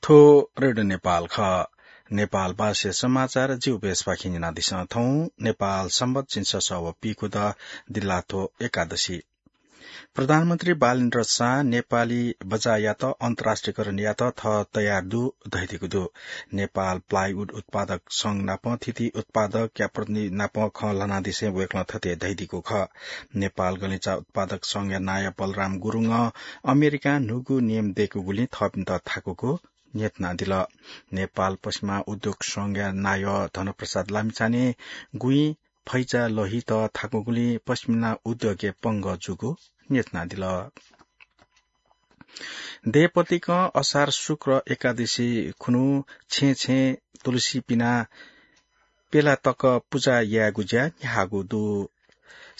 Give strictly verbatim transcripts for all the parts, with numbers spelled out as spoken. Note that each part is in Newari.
थ्व रेडियो नेपाल खः। नेपाल भाषाया समाचार जिगु बेसपाखें न्यनादिसँ। थौं नेपाल संवत् झिंछसः व पीखुदँ दिल्लाथ्व एकादशी। प्रधानमन्त्री बालेन्द्र शाह नेपाली बजारयात अन्तर्राष्ट्रियकरण यायेत थः तयार दु धयादीगु दु। नेपाल प्लाइवुड उत्पादक संघ नाप थीथी उत्पादकया प्रतिनिधि नाप खँ ल्हानादिसें वय्कलं थथे धयादीगु खः। नेपाल गलिचा उत्पादक संघया नायः बलराम गुरुङं अमेरिकां न्हूगु नियम दय्कूगुलिं थःपिन्त थाकूगु न्ह्यथनादिल। नेपाल पश्चिमा उद्योग संघया नायः धनप्रसाद लामिछानें गुँइ फैचा लहित थाकूगुलिं पश्चिमा उद्योगय् पंगः जूगु न्ह्यथनादिल। देय्पतिकं असार शुक्ल एकादशी खुन्हु छेँ छेँ तुलसी पिनाः प्यला तक पुजा यायेगु ज्या न्ह्याःगु दु।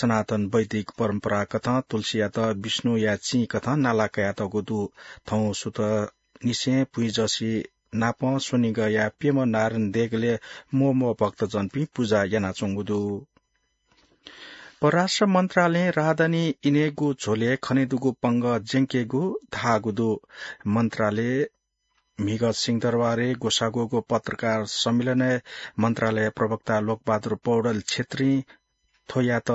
सनातन वैदिक परम्पराकथं तुलसीयात विष्णुया चिं कथं नाला कयातःगु दु। थौं सुथंनिसें भुइँजसि नापं स्वनिगःया प्यम्ह नारायण देगलय् म्वःम्वः भक्तजनपिं पुजा यानाच्वंगु दु। परराष्ट्र मन्त्रालयं राहदानी इनेगु झ्वलय् खनेदुगु पंगः ज्यंकेगु धाःगु दु। मन्त्रालय म्हिगः सिंहदरबारय् ग्वसाः ग्वःगु पत्रकार सम्मेलनय् मन्त्रालय प्रवक्ता लोकबहादुर पौडेल छेत्रीं थ्वयात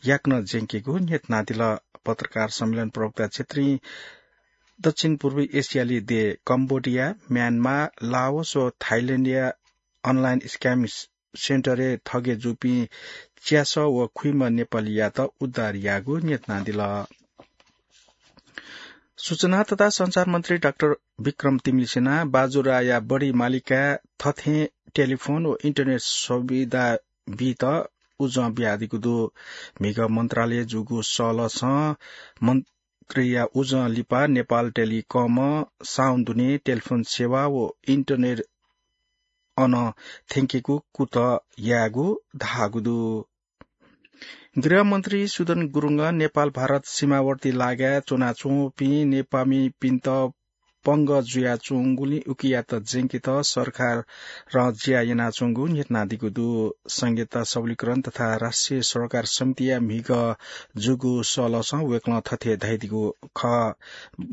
याकनं ज्यंकेगु न्ह्यथनादिल। पत्रकार सम्मेलन प्रवक्ता छेत्रीं दक्षिण पूर्वी एसियाली देय् कम्बोडिया, म्यानमार, लाओस व थाइल्याण्डया अनलाइन स्क्याम सेन्टरय् थगे जूपिं च्यासः व खुइम्ह नेपालीयात उद्धार याःगु न्ह्यथनादिल। सूचना तथा सञ्चार मन्त्री डाक्टर विक्रम तिमिल्सिनां बाजुराया बढी मालिकाय् थथें टेलिफोन व इन्टरनेट सुविधा बीत उजं बियादीगु दु। म्हिगः मन्त्रालयय् जूगु सहलहसं मन्त्रीया उजं लिपा नेपाल टेलिकमं साउन दुने टेलिफोन सेवा व इन्टरनेट अन थ्यंकेगु कुतः यायेगु धाःगु दु। गृहमन्त्री सुदन गुरुङं नेपाल भारत सीमावर्ती लागाय् च्वनाच्वंपिं नेपाःमिपिन्त पंगः जुयाच्वंगुलिं उकियात ज्यंकेत सरकारं ज्या यानाच्वंगु न्ह्यथनादीगु दु। संघीयता सबलीकरण तथा राष्ट्रिय सरोकार समितिया म्हिगः जूगु सहलहसं वय्कलं थथे धयादीगु खः।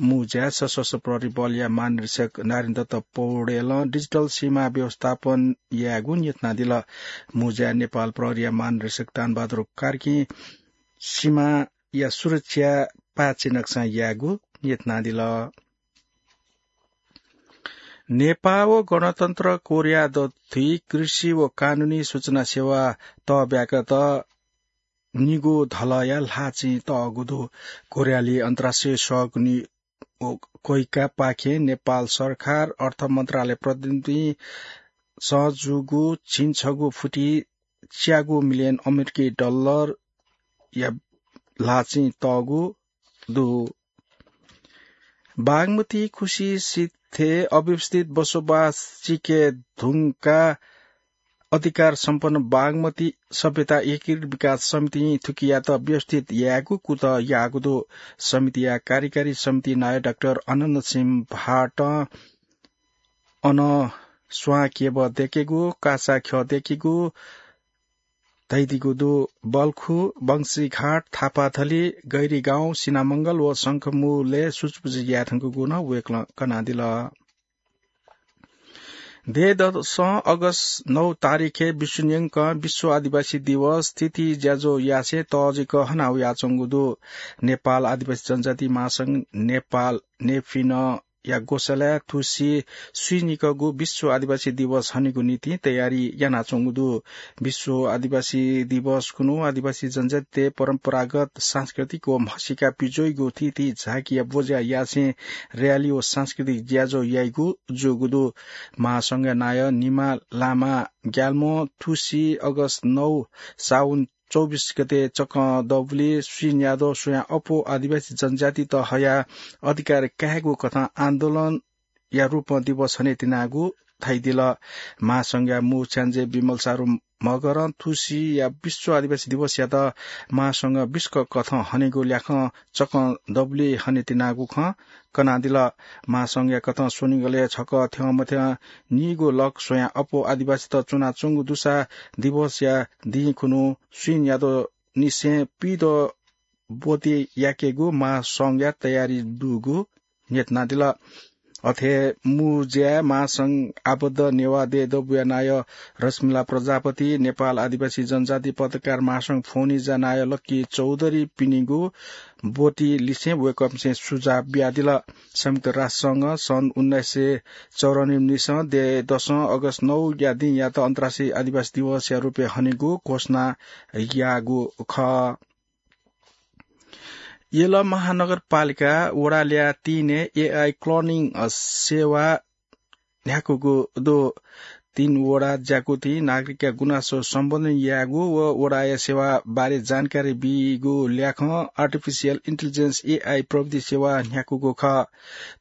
मू ज्याय् सशस्त्र प्रहरी बलया महानिरीक्षक नारायणदत्त पौडेलं डिजिटल सीमा व्यवस्थापन यायेगु न्ह्यथनादिल। मू ज्याय् नेपाल प्रहरीया महानिरीक्षक दानबहादुर कार्कीं सीमाया सुरक्षा पाय्छि नकसां यायेगु न्ह्यथनादिल। नेपाः व गणतन्त्र कोरिया दथुइ कृषि व कानूनी सूचना सेवा तःब्याकात निगू धलःया ल्हाःचिं तःगु दु। कोरियाली अन्तर्राष्ट्रिय सहयोग नि-, व कोइकापाखें नेपाल सरकार अर्थ मन्त्रालय प्रतिनिधिं सं जूगु झिंछगू फुति च्यागू मिलियन अमेरिकी डलरया ल्हाःचिं तःगु दु। बागमती खुसी सिथय् अव्यवस्थित बसोबास चिके धुंका अधिकार सम्पन्न बागमती सभ्यता एकीकृत विकास समितिं थुकियात व्यवस्थित यायेगु कुतः याःगु दु। समितिया कार्यकारी समिति नायः डाक्टर आनन्द सिंह भाटं अन स्वां केबः दय्केगु, कासा ख्यः दय्केगु धयादीगु दु। बल्खु, बंशीघाट, थापाथली, गैरीगाउँ, सिनामंगल व शंखमूलय् सुचुपुचु याये धुंकूगु नं वय्कलं कनादिल। देय् दसं अगस्त नौ तारिखय् विश्व न्यंकं विश्व आदिवासी दिवस थीथी ज्याझ्वः यासें तःजिक हना वयाच्वंगु दु। नेपाल आदिवासी जनजाति महासंघ नेपाल नेफिन या ग्वसालय् थुसी स्वीनिकःगु विश्व आदिवासी दिवस हनेगु निंतिं तयारी यानाच्वंगु दु। विश्व आदिवासी दिवस खुन्हु आदिवासी जनजातितय् परम्परागत सांस्कृतिक व म्हसीका पिज्वइगु थीथी झाँकीया ब्वज्या यासें र्‍याली व सांस्कृतिक ज्याझ्वः याइगु जूगु दु। महासंघया नायः निमा लामा ग्याल्मों थुसी अगस्त नौ साउन चौबिस गते चकं दबुलिइ स्वीन्याद्वः स्वयां अप्वः आदिवासी जनजातित हयाः अधिकार कायेगु कथं आन्दोलनया रूपं दिवस हने तिनागु धयादिल। महासंघया मू छ्याञ्जे विमल सारु मगरं थुसिया विश्व आदिवासी दिवसयात महासंघ बिस्क कथं हनेगु ल्याखं चकं दबुलिइ हने तिनागु खँ कनादिल। महासंघया कथं स्वनिगलय् छकः थ्यंमथ्यं नीगू लक स्वयां अप्वः आदिवासीत च्वनाच्वंगु दुसा दिवसया दिं खुन्हु स्वीन्याद्वःनिसें पीद्वः ब्वति याकेगु महासंघया तयारी दुगु न्ह्यथनादिल। अथे मुज्या महासंघ आबद्ध नेवाः देय् दबूया नायः रश्मिला प्रजापति, नेपाल आदिवासी जनजाति पत्रकार महासंघ फोनिजा नायः लक्की चौधरी पिनिगु ब्वति लिसें वय्कःपिन्सं सुझाव बियादिल। संयुक्त राष्ट्रसंघं सन् उन्नाइस सय चौरानब्बे निसें देय् दसं अगस्त नौ या दिंयात अन्तर्राष्ट्रिय आदिवासी दिवसया रूपय् हनेगु घोषणा याःगु खः। यल महानगरपालिका वडा ल्याः तीनय् एआई क्लोनिङ, अ, सेवा न्ह्याकूगु दु। तीन वडा ज्याकुथिं नागरिकया गुनासो सम्बोधन यायेगु व वडाया सेवा बारे जानकारी बीगु ल्याखं आर्टिफिसियल इन्टेलिजेन्स, एआई, प्रविधि सेवा न्ह्याकूगु खः।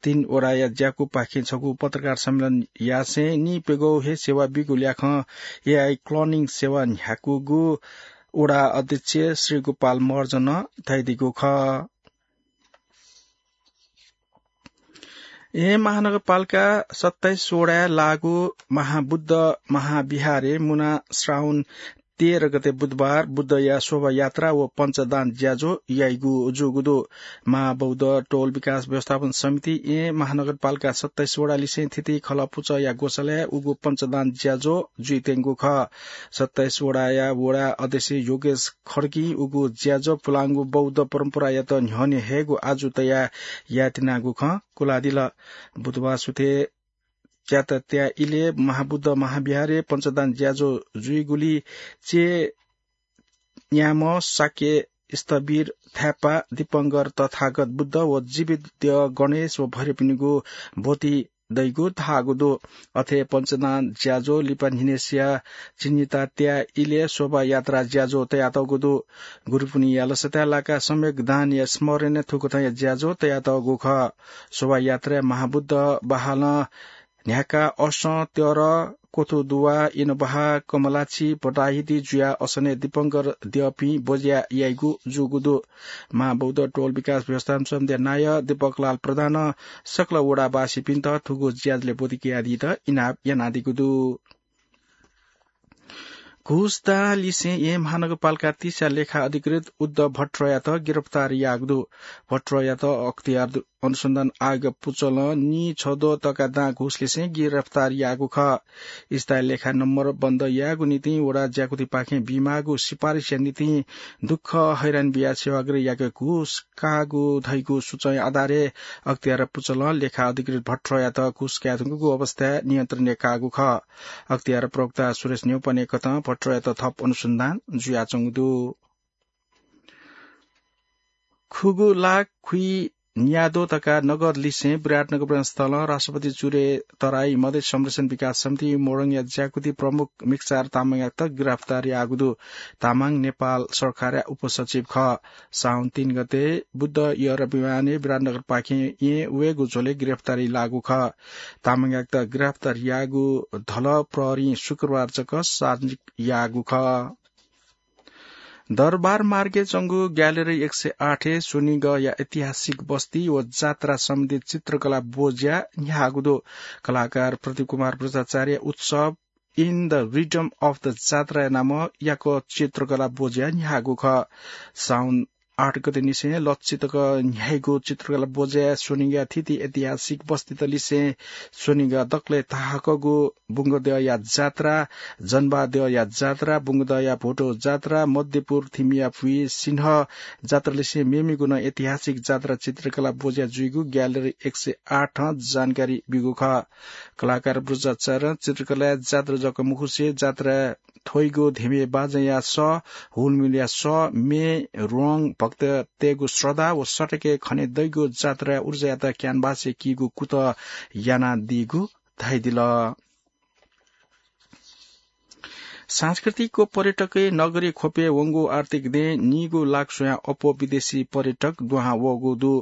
तीन वडाया ज्याकुपाखें छगू पत्रकार सम्मेलन यासें निप्यगौ हे सेवा बीगु ल्याखं एआई क्लोनिङ सेवा न्ह्याकूगु वडा अध्यक्ष श्री गोपाल महर्जनं धयादीगु खः। येँ महानगरपालिका सत्ताइस वडाय् लागू महाबुद्ध महाविहारय् मुना श्रावण तेह्र गते बुधबार बुद्धया शोभायात्रा व पञ्चदान ज्याझ्वः याइगु जूगु दु। महाबौद्ध टोल विकास व्यवस्थापन समिति येँ महानगरपालिका सत्ताइस वडा लिसें थीथी खलः पुचःया ग्वसालय् उगु पञ्चदान ज्याझ्वः जुइत्यंगु खः। सत्ताइस वडाया वडा अध्यक्ष योगेश खड्गीं उगु ज्याझ्वः पुलांगु बौद्ध परम्परायात न्ह्यःने हयेगु आजु तयाः यायेत्यनागु खँ कुलादिल। बुधबार सुथय् च्यातात्या इलय् महाबुद्ध महाविहारय् पञ्चदान ज्याझ्वः जुइगुलिं चय् न्याम्ह शाक्य स्थविर थाय्पा, दीपंकर तथागत बुद्ध व जीवित द्यः गणेश व भैरवपिनिगु ब्वति दइगु धाःगु दु। अथे पञ्चदान ज्याझ्वः लिपा न्हिनय्सिया चिन्हितात्या इलय् शोभायात्रा ज्याझ्वः तयातःगु दु। गुरुपुन्हिया लसताय् लाकाः सम्यक दानया स्मरणय् थुकथंया ज्याझ्वः तयातःगु खः। शोभायात्राय् महाबुद्ध बहालं न्ह्याकाः असं, त्यर, क्वथु दुवा, इनबहा, कमलाछि, बटाहिति जुयाः असनय् दीपंकर द्यःपिं ब्वज्या याइगु जूगु दु। महाबौद्ध टोल विकास व्यवस्थापन समितिया नायः दीपकलाल प्रधानं सकल वडावासीपिन्त थुगु ज्याझ्वलय् ब्वति कयादीत इनाप यानादीगु दु। घुसदां लिसें येँ महानगरपालिका तीसया लेखा अधिकृत उद्धव भट्टराईयात गिरफ्तार याःगु दु। भट्टराईयात अख्तियार दु। अनुसन्धान आयोगया पुचलं नीछद्वः तका दां घुस लिसें गिरफ्तार याःगु खः। स्थायी लेखा नम्बर बन्द यायेगु निंतिं वडा ज्याकुथिपाखें बीमाःगु सिफारिसया निंतिं दुःख हैरान बियाः सेवाग्राही याके घुस काःगु धइगु सूचनाया आधारय् अख्तियार पुचलं लेखा अधिकृत भट्टराईयात घुस काये धुंकूगु अवस्थाय् नियन्त्रणय् काःगु खः। अख्तियार प्रवक्ता सुरेश न्यौपाने कथं भट्टराईयात थप अनुसन्धान जुयाच्वंगु दु। खुगू लाख खुइन्याद्वः तका नगद लिसें विराटनगर विमानस्थलं राष्ट्रपति चुरे तराई मधेस संरक्षण विकास समिति मोरङया ज्याकुथि प्रमुख मिकचार तामाङयात गिरफ्तार याःगु दु। तामाङ नेपाल सरकारया उपसचिव खः। साउन तीन गते बुद्ध एयर विमानय् विराटनगरपाखें येँ वयेगु झ्वलय् गिरफ्तारी लाःगु खः। तामाङयात गिरफ्तार याःगु धलः प्रहरीं शुक्रबार जक सार्वजनिक याःगु खः। दरबार मार्गय् च्वंगु ग्यालरी एक सय आठय् स्वनिगःया ऐतिहासिक बस्ती व जात्रा सम्बन्धी चित्रकला ब्वज्या न्ह्याःगु दु। कलाकार प्रदीप कुमार बज्राचार्य उत्सव In the Rhythm of the जात्राया नामं याकः चित्रकला ब्वज्या न्ह्याःगु खः। साउन आठ गते निसें लच्छि तक न्ह्याइगु चित्रकला ब्वज्याय् स्वनिगः थीथी ऐतिहासिक बस्तीत लिसें स्वनिगः दकलय् थाहाकःगु बुंगद्यःया जात्रा, जनबाद्यःया जात्रा, बुंगद्यःया भोटो जात्रा, मध्यपुर थिमिया फुइ सिन्ह जात्रा लिसें मेमेगु नं ऐतिहासिक जात्रा चित्रकला ब्वज्या जुइगु ग्यालरी एक सय आठं जानकारी ब्यूगु खः। कलाकार बज्राचार्यं चित्रकलाय् जात्रा जक मखुसें जात्रा थ्वइगु धिमे बाजंया सः, हुलमुलया सः, म्ये, ह्वँग, भक्ततय्गु श्रद्धा व सटकय् खने दइगु जात्राया ऊर्जायात क्यानभासय् कीगु कुतः यानादीगु धयादिल। सांस्कृतिक व पर्यटकीय नगरी ख्वपय् वंगु आर्थिक दँय् नीगू लाख स्वयां अप्वः विदेशी पर्यटक दुहां वःगु दु।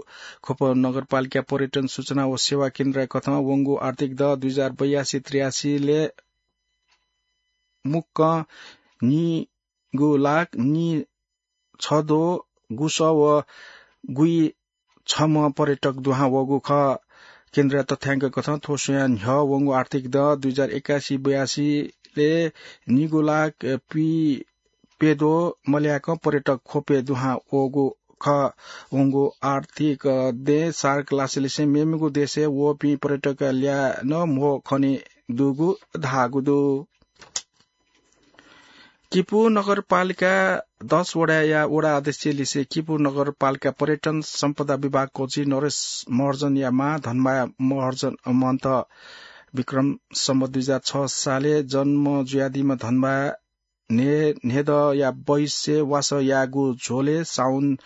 ख्वप नगरपालिका पर्यटन सूचना व सेवा केन्द्रया कथं वंगु आर्थिक दँ दुई हजार बयासी त्रियासीलय् मुक्कं नीगू लाख नीछद्वः गुसः व गुइछम्ह पर्यटक दुहां वःगु खः। केन्द्रया तथ्यांक कथं थ्व स्वयां न्ह्यः वंगु आर्थिक दँ दुई हजार एकासी बयासीलय् नीगू लाख पि प्यद्वः मल्याकं पर्यटक ख्वपय् दुहां वःगु खः। वंगु आर्थिक दँय् सार्क लासेलिसें मेमेगु देशय् वःपिं पर्यटकया ल्याः नं म्हो खने दुगु धाःगु दु। किपू नगरपालिका दस वडाया वडा अध्यक्ष लिसे किपू नगरपालिका पर्यटन सम्पदा विभाग कोची नरेश महर्जनया मां धनमाया महर्जन महन्त विक्रम सम्बत दुई हजार छ साले जन्म जुयादीम्ह धनमाया न्हे-, न्हेदँया बैसे वासः याःगु झ्वलय् साउन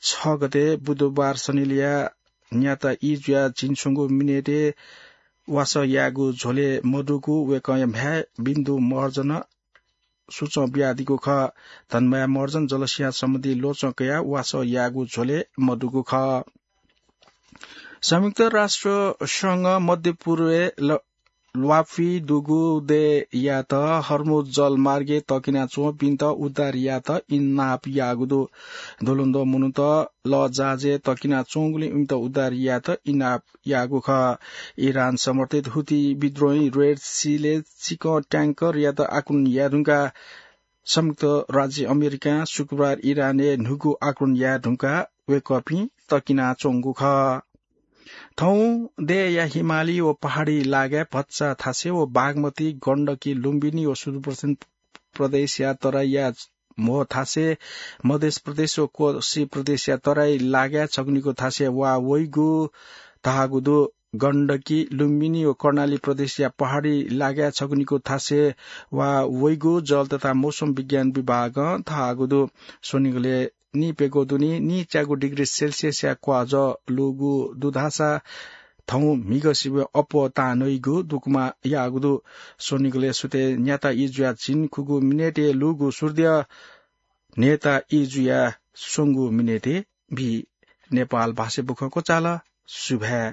छ गते बुधबार सनिलया न्याता ई जुया झिंछ्वंगु मिनेटय् वासः याःगु झ्वलय् मदुगु वय्कःया म्ह्याय् बिन्दु महर्जनं सुचं बियादीगु खः। धनमाया महर्जन जलस्यां सम्बन्धी ल्वचं कयाः वासः याःगु झ्वलय् मदुगु खः। संयुक्त राष्ट्र संघ मध्य पूर्वय् ल-, ल्वापी दुगु देय्‌यात हर्मुज जलमार्गय् तकिना च्वंपिन्त उद्धार यायेत इनाप याःगु दु। दुलुन्दो मनूत लःजहाजय् तकिना च्वंगुलिं इमित उद्धार यायेत इनाप याःगु खः। इरान समर्थित हुती विद्रोही रेड सीलय् चिकं ट्याङ्करयात आक्रमण याये धुंकाः संयुक्त राज्य अमेरिकां शुक्रबार इरानय् न्हूगु आक्रमण याये धुंकाः वय्कःपिं तकिना च्वंगु खः। थौं देय्‌या हिमाली व पहाडी लागाय् भचा थासय् व बागमती, गण्डकी, लुम्बिनी व सुदूरपश्चिम प्रदेशया तराईया म्हो थासय्, मध्य प्रदेश व कोशी प्रदेशया तराई लागाय् छगू निगू थासय् वा वइगु धाःगु दु। गण्डकी, लुम्बिनी व कर्णाली प्रदेशया पहाडी लागाय् छगू निगू थासय् वा वइगु जल तथा मौसम विज्ञान विभागं धाःगु दु। स्वनिगलय् नीप्यघौ दुने नीच्यागू डिग्री सेल्सियसया क्वाःजः लूगु दु धाःसा थौं म्हिगः सिबय् अप्वः तां नइगु दुकमा याःगु दु। स्वनिगलय् सुथय् न्याता ई जुया झिंखुगू मिनेटय् लूगु सूर्य न्हय्ता ई जुया स्वंगू मिनेटय् बी। नेपाल भाषा बुखँ क्वचाल। सुभाय्।